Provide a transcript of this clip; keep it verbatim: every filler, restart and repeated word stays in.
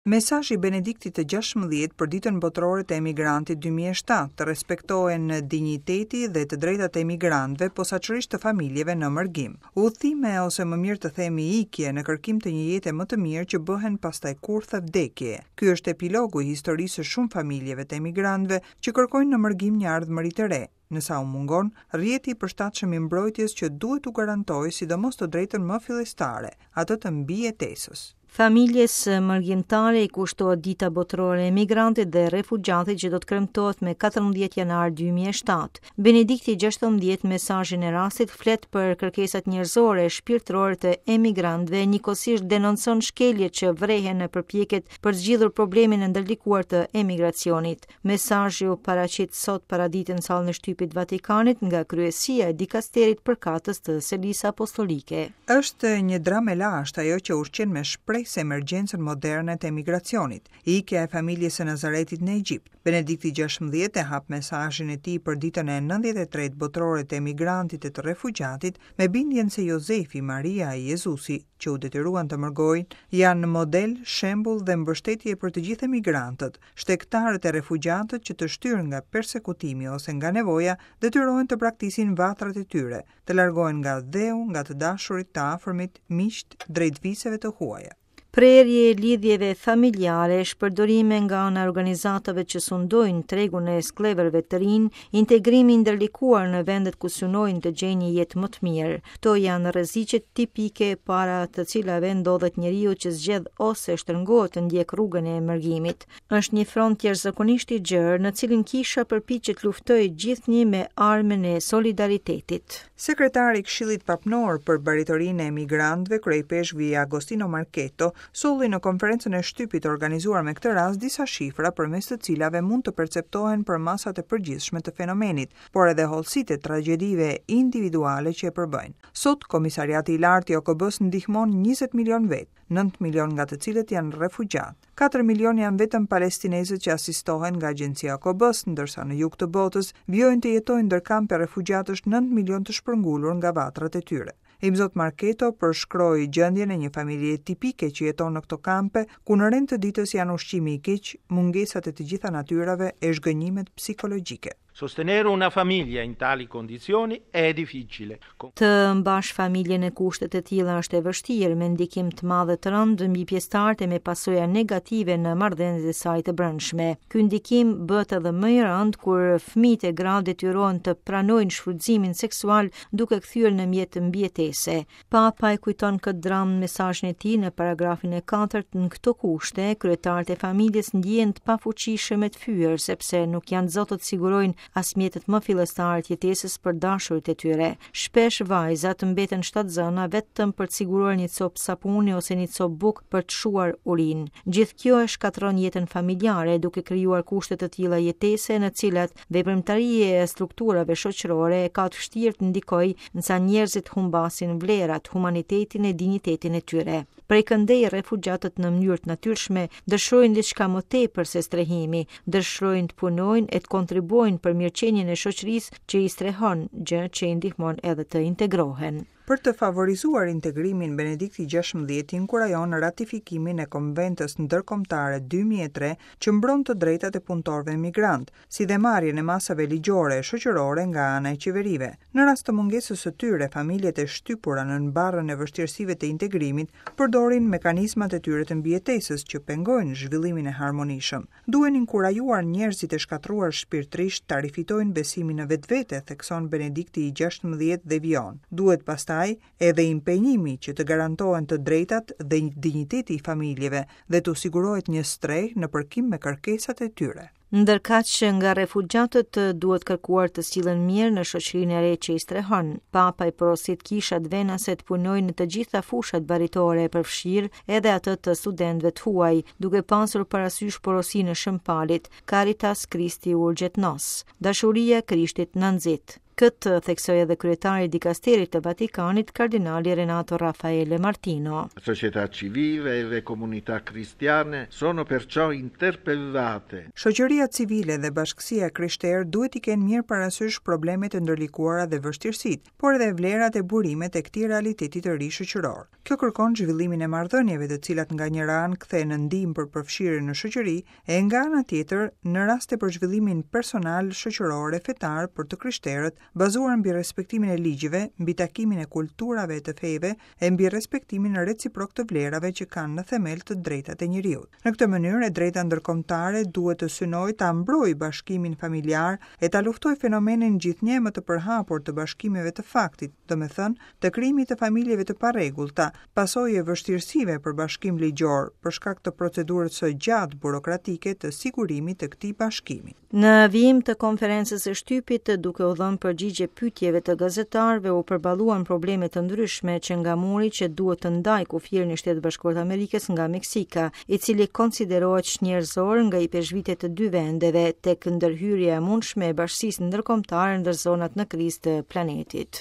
Mesazhi i Benediktit të gjashtëmbëdhjetë për Ditën Botërore të Emigrantit dy mijë e shtatë, të respektohen dinjiteti dhe të drejtat e emigrantëve, posaçërisht të familjeve në mërgim. Udhëtime ose më mirë të themi ikje në kërkim të një jete më të mirë që bëhen pastaj kurthe vdekje. Ky është epilogu i historisë së shumë familjeve të emigrantëve që kërkojnë në mërgim një ardhmëri të re, nësa u mungon rrjeti i përshtatshëm i mbrojtjes që duhet t'u garantojë sidomos të drejtën më fillestare, atë të mbijetesës. Familjes mërgimtare i kushtohet Dita Botërore e Emigrantit dhe Refugjatit që do të kremtohet me katërmbëdhjetë janar dy mijë e shtatë. Benedikti gjashtëmbëdhjetë mesazhin e rastit flet për kërkesat njerëzore e shpirtërore të emigrantëve, njëkohësisht denoncon shkeljet që vrehen në përpjekjet për zgjidhur problemin e ndërlikuar të emigracionit. Mesazhi u paraqit sot paradite në sallën e shtypit Vatikanit nga kryesia e dikasterit përkatës të Selisë Apostolike. Është një dramë e lashtë ajo që ushqen me shpresë emergjencën moderne të emigracionit, ikja e familjes së Nazaretit në Egjipt. Benedikti gjashtëmbëdhjetë e hap mesazhin e tij për ditën e nëntëdhjetë e tretë botërore të emigrantit e të refugjatit me bindjen se Jozefi, Maria e Jezusi, që u detyruan të mërgojnë, janë model, shembull dhe mbështetje për të gjithë emigrantët, shtegtarët e refugjatët që të shtyrë nga persekutimi ose nga nevoja detyrohen të braktisin vatrat e tyre, të largohen nga dheu, nga të dashurit, të afërmit, miqt, drejt viseve të huaja. Prerje e lidhjeve familjare, shpërdorime nga ana e organizatave që sundojnë tregun e skllevërve të rinj, integrimi i ndërlikuar në vendet ku synojnë të gjejnë një jetë më të mirë. Këto janë rreziqet tipike para të cilave ndodhet njeriu që zgjedh ose shtrëngohet të ndjek rrugën e mërgimit. Është një front jashtëzakonisht i gjerë në cilin kisha përpiqet luftojë gjithnjë me armën e solidaritetit. Sekretari i Këshillit Papnor për Baritorinë e Emigrantëve, kryepeshkvi Agostino Marchetto, solli në konferencën e shtypit organizuar me këtë rast disa shifra përmes të cilave mund të perceptohen përmasat e përgjithshme të fenomenit, por edhe hollësitë e tragjedive individuale që e përbëjnë. Sot, Komisariati i Lartë i O K B-s ndihmon njëzet milion vetë, nëntë milion nga të cilët janë refugjat. Katër milion janë vetëm palestinezët që asistohen nga agjencia O K B-s, ndërsa në jug të botës vijojnë të jetojnë ndër kampe refugjatësh nëntë milion të shpërngulur nga vatrat e tyre. Imzot Marchetto përshkroi gjendjen e një familje tipike që jeton në këto kampe, ku në rend të ditës janë ushqimi i keq, mungesat e të gjitha natyrave e zhgënjimet psikologjike. Sostenere una famiglia in tali condizioni è difficile. Të mbash familjen në kushte të tilla është e vështirë, me ndikim të madh e të rëndë mbi pjesëtarët e me pasoja negative në marrëdhëniet e saj të brendshme. Ky ndikim bëhet edhe më i rëndë kur fëmijët e gratë detyrohen të pranojnë shfrytëzimin seksual duke kthyer në mjet mbijetese. Papa e kujton këtë dramë në mesazhin e tij në paragrafin e katërt. Në këto kushte, kryetarët e familjes ndjehen të pafuqishëm e të fyer sepse nuk janë zotët të sigurojnë as mjetet më fillestare të jetesës për dashurit e tyre. Shpesh vajzat mbeten shtatzëna vetëm për të siguruar një copë sapuni ose një copë bukë për të shuar urinë. Gjithë kjo e shkatërron jetën familjare, duke krijuar kushte të tilla jetese në cilat veprimtaria e strukturave shoqërore e ka të vështirë të ndikojë nësa njerëzit humbasin vlerat, humanitetin e dinjitetin e tyre. Prej këndej refugjatët në mënyrë të natyrshme dëshirojnë diçka më tepër se strehimi, dëshirojnë të punojnë e të kontribuojnë për mirëqenien e shoqërisë që i strehon, gjë që i ndihmon edhe të integrohen. Për të favorizuar integrimin, Benedikti gjashtëmbëdhjetë inkurajon ratifikimin e Konventës Ndërkombëtare dy mijë e tre që mbron të drejtat e punëtorëve emigrant, si dhe marrjen e masave ligjore e shoqërore nga ana e qeverive. Në rast të mungesës së tyre, familjet e shtypura nën barrën e vështirësive të integrimit përdorin mekanizmat e tyre të mbijetesës që pengojnë zhvillimin e harmonishëm. Duhen inkurajuar njerëzit e shkatërruar shpirtërisht ta rifitojnë besimin në vetvete, thekson Benedikti i gjashtëmbëdhjetë dhe vijon. Duhet pastaj edhe impenjimi që të garantohen të drejtat dhe dinjiteti i familjeve dhe t'u sigurohet një strehë në përkim me kërkesat e tyre. Ndërkaq nga refugjatët duhet kërkuar të sillen mirë në shoqërinë e re që i strehon. Papa i porosit kishat venase të punojnë në të gjitha fushat baritore, përfshirë edhe atë të studentëve të huaj, duke pasur parasysh porosinë e Shën Palit, Caritas Christi Urget Nos, dashuria e Krishtit na nxit. Këtë theksoi edhe kryetari i dikasterit të Vatikanit, kardinali Renato Raffaele Martino. La società civile e le comunità cristiane sono perciò interpellate. Shoqëria civile dhe bashkësia e krishterë duhet t'i kenë mirë parasysh problemet e ndërlikuara dhe vështirësitë, por edhe vlerat e burimet e këtij realiteti të ri shoqëror. Kjo kërkon zhvillimin e marrëdhënieve, të cilat nga njëra anë kthehen në ndihmë për përfshirjen në shoqëri, e nga ana tjetër në raste për zhvillimin personal, shoqëror e fetar për të krishterët, bazuar mbi respektimin e ligjeve, mbi takimin e kulturave e të fejve e mbi respektimin reciprok të vlerave që kanë në themel të drejtat e njeriut. Në këtë mënyrë, e drejta ndërkombëtare duhet të synojë ta mbrojë bashkimin familjar e ta luftojë fenomenin gjithnjë më të përhapur të bashkimeve të faktit, domethënë të krijimit të familjeve të parregullta, pasojë e vështirësive për bashkim ligjor për shkak të procedurës së gjatë burokratike të sigurimit të këtij bashkimi. Në vijim të konferencës së shtypit, duke u dhënë përgjigje pyetjeve të gazetarëve, u përballuan probleme të ndryshme që nga muri që duhet të ndajë kufirin e Shtetit Bashkuar të Amerikës nga Meksika, i cili konsiderohet çnjerëzor nga ipeshkvitët e dy vendeve, tek ndërhyrja e mundshme e bashkësisë ndërkombëtare ndër zonat në krizë të planetit.